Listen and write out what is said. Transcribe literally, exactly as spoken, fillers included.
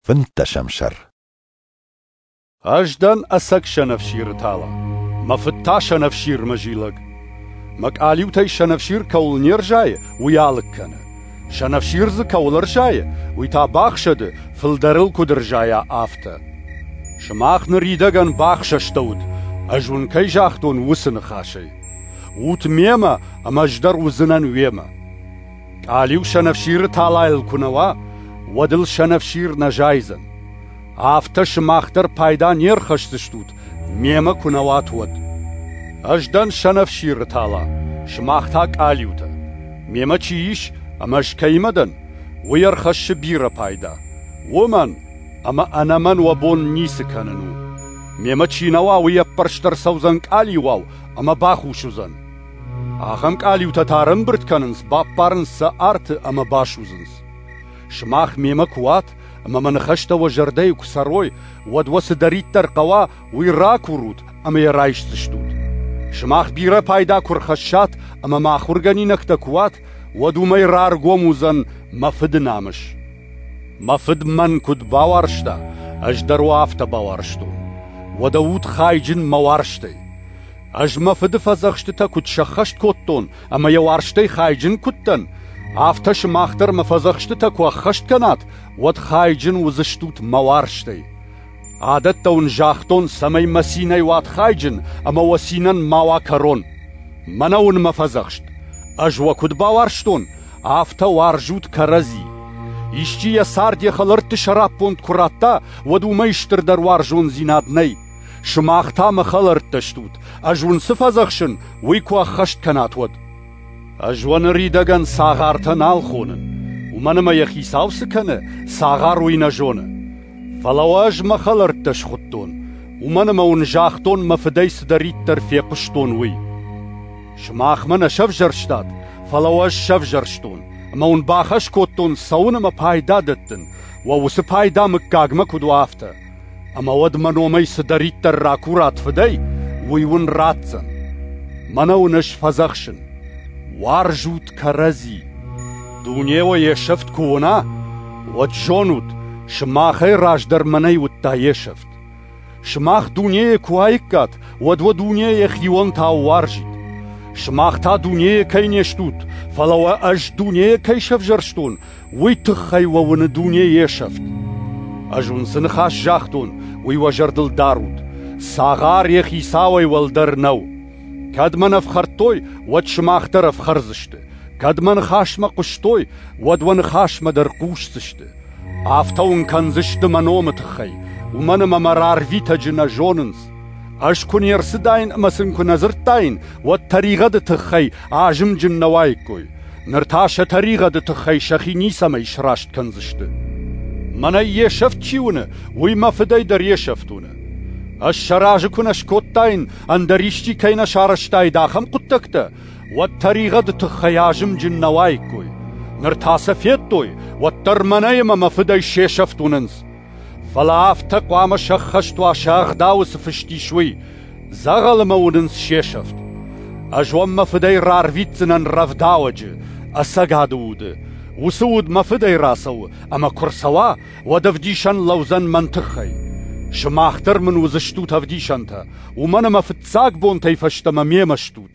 Фынддӕсӕм сӕр. Ӕз дӕн ӕцӕг сӕнӕфсиры тала, мӕ Фыд та сӕнӕфсирмӕ зилӕг. Мӕ къалиутӕй сӕнӕфсир кӕуыл не рзайы, уый алыг кӕны. Сӕнӕфсир дзы кӕуыл ӕрзайы, уый та бахсӕды, фылдӕр ыл куыд ӕрзайа, афтӕ. Сымах ныридӕгӕн бахсӕстӕуыд, ӕз уын кӕй загътон, уыцы ныхасӕй. Ут мемӕ, ӕмӕ ӕз дӕр уыдзынӕн уемӕ. Къалиу сӕнӕфсиры талайыл куы нӕ уа, уӕд ыл сӕнӕфсир нӕ зайдзӕн. Афтӕ сымах дӕр пайда не рхӕсдзыстут, мемӕ куы нӕ уат, уӕд. Ӕз дӕн сӕнӕфсиры тала, сымах та къалиутӕ. Мемӕ чи ис, ӕмӕ ӕз кӕимӕ дӕн, уый ӕрхӕссы бирӕ пайда. Уымӕн, ӕмӕ ӕнӕ мӕн уӕ бон ницы кӕнын у. Мемӕ чи нӕ уа, уый ӕппӕрст ӕрцӕудзӕн къалиуау ӕмӕ бахус уыдзӕн. Ахӕм къалиутӕ та ӕрӕмбырд кӕнынц, баппарынц сӕ арты ӕмӕ басудзынц. Сымах мемӕ куы уат, ӕмӕ мӕ ныхӕстӕ уӕ зӕрдӕйы куы цӕрой, уӕд уӕ цыдӕриддӕр хъӕуа, уый ракурут ӕмӕ йӕ райсдзыстут. Сымах бирӕ пайда куы рхӕссат ӕмӕ мӕ ахуыргӕнинӕгтӕ куы уат, уӕд уымӕй раргом уыдзӕн мӕ Фыды намыс. Мӕ Фыд мӕн куыд бауарзта, ӕз дӕр уӕ афтӕ бауарзтон. Уӕдӕ ут хайджын мӕ уарзтӕй. Ӕз мӕ Фыды фӕдзӕхстытӕ куыд сӕххӕст кодтон ӕмӕ йӕ уарзтӕй хайджын куыд дӕн, афтӕ сымах дӕр мӕ фӕдзӕхстытӕ куы ӕххӕст кӕнат, уӕд хайджын уыдзыстут мӕ уарзтӕй. Адӕттӕ уын загътон, цӕмӕй мӕ цинӕй уат хайджын ӕмӕ уӕ цинӕн ма уа кӕрон. Мӕнӕ уын мӕ фӕдзӕхст. Ӕз уӕ куыд бауарзтон, афтӕ уарзут кӕрӕдзи. Исчи йӕ цард йӕ хӕлӕртты сӕраппонд куы радта, уӕд уымӕй стырдӕр уарзондзинад нӕй. Сымах та мӕ хӕлӕрттӕ стут, ӕз уын цы фӕдзӕхсын, уый куы ӕххӕст кӕнат, уӕд. Ӕз уӕ ныридӕгӕн цагъартӕ нал хонын, уымӕн ӕмӕ йӕ хицау цы кӕны, цагъар уый нӕ зоны. Фӕлӕ уӕ ӕз мӕ хӕлӕрттӕ схуыдтон, уымӕн ӕмӕ уын загътон, мӕ Фыдӕй цыдӕриддӕр фехъуыстон, уый. Сымах мӕ нӕ сӕвзӕрстат, фӕлӕ уӕ ӕз сӕвзӕрстон, ӕмӕ уын бахӕс кодтон цӕуын ӕмӕ пайда дӕттын, уӕ уыцы пайда мыггагмӕ куыд уа, афтӕ. Ӕмӕ уӕд мӕ номӕй цыдӕриддӕр ракурат Фыдӕй, уый уын ратдзӕн. Мӕнӕ уын ӕз фӕдзӕхсын: уарзут кӕрӕдзи. Дуне уӕ йе сӕфт куы уына, уӕд зонут, сымахӕй раздӕр мӕнӕй уыдта йе сӕфт. Сымах дунейы куы уаиккат, уӕд уӕ дуне йӕхионтау уарзид. Сымах та дунейы кӕй не стут, фӕлӕ уӕ ӕз дунейы кӕй сӕвзӕрстон, уый тыххӕй уӕ уыны дуне йе сӕфт. Ӕз уын цы ныхас загътон, уый уӕ зӕрдыл дарут: цагъар йӕ хицауӕй уӕлдӕр нӕу. Кӕд мӕн ӕфхӕрдтой, уӕд сымах дӕр ӕфхӕрдзысты. Кӕд мӕ ныхасмӕ хъуыстой, уӕд уӕ ныхасмӕ дӕр хъусдзысты. Афтӕ уын кӕндзысты мӕ номы тыххӕй, уымӕн ӕмӕ мӕ рарвитӕджы нӕ зонынц. Ӕз куы не рцыдаин ӕмӕ сын куы нӕ дзырдтаин, уӕд тӕригъӕды тыххӕй азымджын нӕ уаиккой. Ныр та сӕ тӕригъӕды тыххӕй сӕхи ницӕмӕй сраст кӕндзысты. Мӕнӕй йе сӕфт чи уыны, уый мӕ Фыдӕй дӕр йе сӕфт уыны. Ӕз сӕ разы куы нӕ скодтаин, ӕндӕр исчи кӕй нӕ сарӕзтаид ахӕм хъуыддӕгтӕ, уӕд тӕригъӕды тыххӕй азымджын нӕ уаиккой. Ныр та сӕ федтой, уӕддӕр мӕнӕй ӕмӕ мӕ Фыдӕй се сӕфт уынынц. Фӕлӕ афтӕ хъуамӕ сӕххӕст уа сӕ ӕгъдауы цы фыст ис, уый: дзӕгъӕлы мӕ уынынц се сӕфт. Ӕз уӕм мӕ Фыдӕй рарвитдзынӕн рӕвдауӕджы, ӕцӕгады уды. Уыцы уд мӕ Фыдӕй рацӕуы, ӕмӕ куы рцӕуа, уӕд ӕвдисӕн лӕудзӕн мӕн тыххӕй. Сымах дӕр мын уыдзыстут ӕвдисӕнтӕ, уымӕн ӕмӕ фыццаг бонтӕй фӕстӕмӕ мемӕ стут.